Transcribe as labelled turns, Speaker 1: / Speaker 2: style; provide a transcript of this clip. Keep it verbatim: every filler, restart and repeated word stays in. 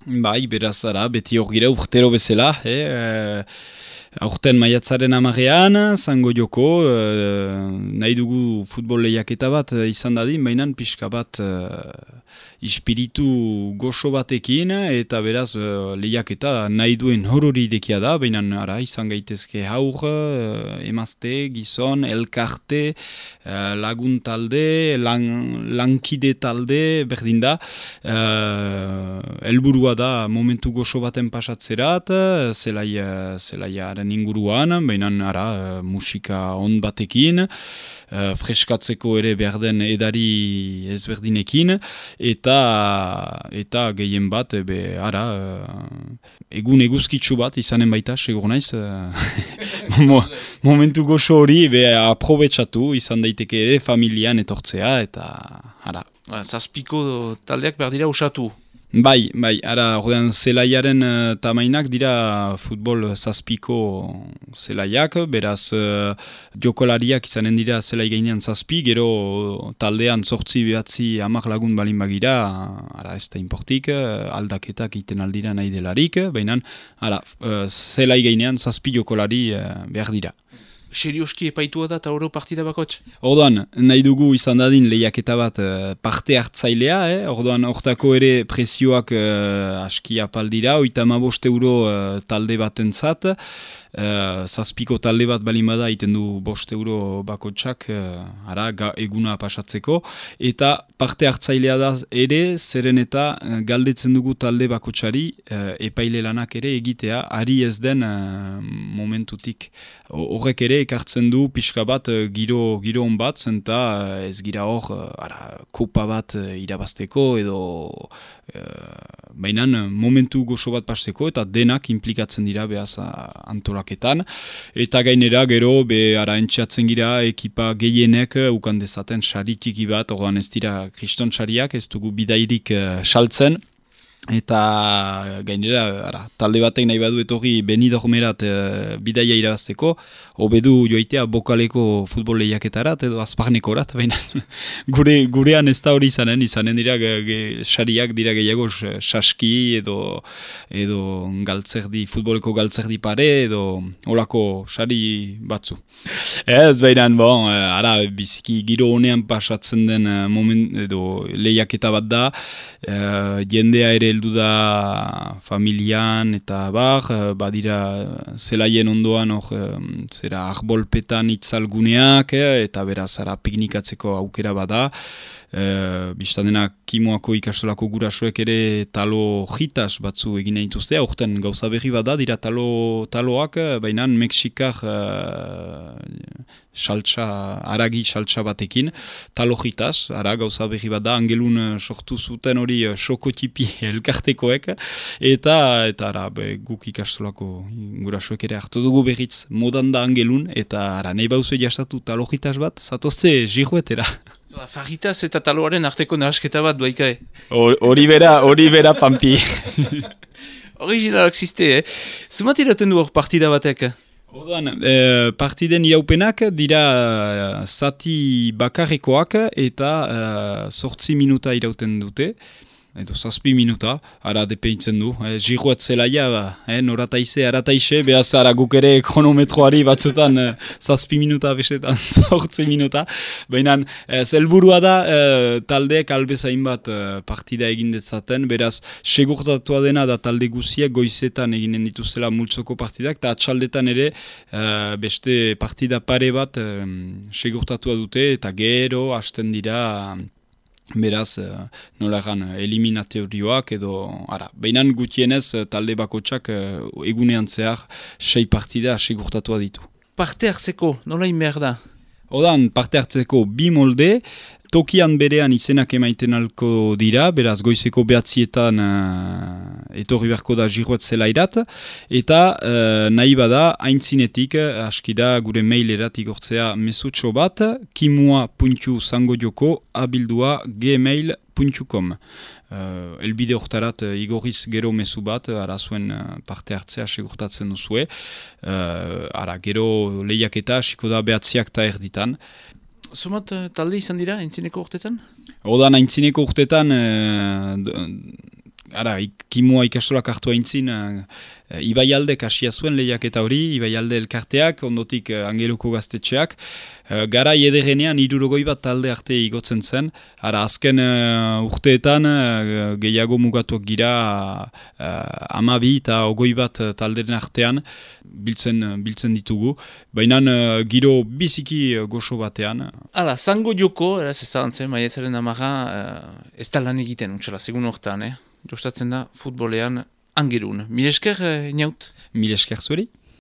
Speaker 1: Bai, beraz, ara, beti hor gira urtero bezala, eh? Aurten maiatzaren amarean, zango joko, uh, nahi dugu futbol lehiaketa bat uh, izan dadin, baina pixka bat uh, ispiritu goxo batekin, eta beraz uh, lehiaketa nahi duen horori dekia da, baina ara, izan gaitezke haur, uh, emazte, gizon, elkarte, uh, lagun talde, lan, lankide talde, berdin da, uh, helburua da momentu goxo baten pasatzerat, zelai, zelaiaren inguruan, baina ara, musika on batekin, uh, freskatzeko ere behar den edari ezberdinekin, eta eta gehien bat, be, ara, uh, egun eguzkitsu bat izanen baita, segur naiz, uh, mo, momentu goxo hori be, aprobetsatu, izan daiteke ere familian etortzea, eta ara.
Speaker 2: Zazpiko taldeak behar dira usatu.
Speaker 1: Bai, bai, ara, ordean zelaiaren uh, tamainak dira futbol zazpiko zelaiak, beraz uh, jokolariak izanen dira zelai gainean zazpi, gero taldean zortzi behatzi amak lagun balin bagira, ara ez da importik, uh, aldaketak iten aldira nahi delarik, baina ara, uh, zelai gainean zazpi jokolari uh, behar dira.
Speaker 2: Serioski epaitua da eta oro partida bakotx?
Speaker 1: Ordoan, nahi dugu izan dadin lehiaketa bat uh, parte hartzailea, eh? Ordoan, hortako ere prezioak uh, aski apaldira, oita hamabost euro uh, talde batentzat, uh, zazpiko talde bat balin bada iten du bost euro bakotxak uh, ara, ga, eguna pasatzeko, eta parte hartzailea da ere, zeren eta uh, galdetzen dugu talde bakotxari uh, epaile lanak ere egitea, ari ez den uh, momentutik. Horrek ere ekartzen du pixka bat uh, giro, giro on bat, zenta uh, ez gira hor uh, ara, kopa bat uh, irabazteko edo uh, bainan momentu goxo bat pasteko eta denak implikatzen dira behaz antolaketan. Eta gainera gero be ara entxeatzen gira ekipa gehienek uh, ukan dezaten sari txiki bat, ordan ez dira kriston sariak, ez dugu bidairik uh, saltzen. Eta gainera, ara, talde batek nahi badu etorri Benidormerat e, bidaia irabazteko, hobedu joitea bokaleko futbol lehiaketarat edo azparnekorat, baina gure, gurean ez da hori izanen, izanen dira ge, ge, sariak dira gehiago saski edo, edo galtzerdi, futboleko galtzerdi pare edo olako sari batzu. Ez baina, bon, ara, biziki giro honean pasatzen den moment edo lehiaketa bat da, e, jendea ere heldu da familian eta bar, badira zelaien ondoan hor, zera arbolpetan itzalguneak, eta beraz ara piknikatzeko aukera bada. E, Bistan dena Kimoako ikastolako gurasoek ere talo jitas batzu egin dituzte, aurten gauza berri bada, dira talo, taloak, baina Mexikar uh, saltsa, aragi saltsa batekin, talo jitas, ara gauza berri bada, angelun sortu zuten hori sokotipi elkartekoek, eta, eta ara, be, guk ikastolako gurasoek ere hartu dugu berriz modan da angelun, eta ara, nahi bauzu jastatu talo jitas bat, zatozte jiruetera.
Speaker 2: Fajitas eta taloaren arteko nahasketa bat duaikae.
Speaker 1: Hori bera, hori bera pampi.
Speaker 2: Originalak ziste, eh? Zumat iraten du hor partida batek?
Speaker 1: Orduan, eh, partiden iraupenak dira uh, zati bakarrekoak eta sortzi uh, minuta irauten dute. Edo zazpi minuta, ara depeintzen du. E, Jiruat zelaia, eh, norataize, arataize, behaz ara guk ere kronometroari batzutan eh, zazpi minuta, bestetan zortzi minuta. Baina eh, zelburua da eh, taldeek albezain bat eh, partida egin detzaten, beraz segurtatua dena da talde guziek goizetan eginen dituzela multzoko partidak, eta atxaldetan ere eh, beste partida pare bat eh, segurtatua dute, eta gero hasten dira... Beraz, uh, nola egan, eliminatorioak edo, ara, behinan gutienez talde bakotsak uh, egunean zehar sei partida segurtatua ditu.
Speaker 2: Parte hartzeko, nola inber da?
Speaker 1: Odan, parte hartzeko bi molde, tokian berean izenak emaiten alko dira, beraz goizeko behatzietan uh, etorri beharko da Jiruet zelairat, eta uh, nahi bada haintzinetik, aski da gure mailerat igortzea mesutxo bat, kimua puntu zango joko abildua gmail puntu com. Uh, elbide hortarat uh, igorriz gero mezu bat, uh, ara zuen uh, parte hartzea segurtatzen duzue, uh, ara gero lehiaketa hasiko da behatziak eta erditan.
Speaker 2: Zumat talde izan dira, aintzineko urtetan?
Speaker 1: Odan, aintzineko urtetan, uh, ara, kimua ikastolak hartu haintzin, uh, Ibaialdek hasia zuen lehiaketa hori, Ibaialde elkarteak, ondotik uh, Angeluko gaztetxeak, uh, garai ederenean hirurogoi bat talde arte igotzen zen, ara azken uh, urteetan uh, gehiago mugatuak gira uh, amabi eta ogoi bat talderen artean biltzen, biltzen ditugu, baina uh, giro biziki uh, goxo batean.
Speaker 2: Hala, zango joko, eraz ezagantzen, maiatzaren amara, uh, ez da lan egiten, untxala, segun hortan, eh? Jostatzen da futbolean Angerun. Mil esker, eh, inaut?
Speaker 1: Mil esker zueri?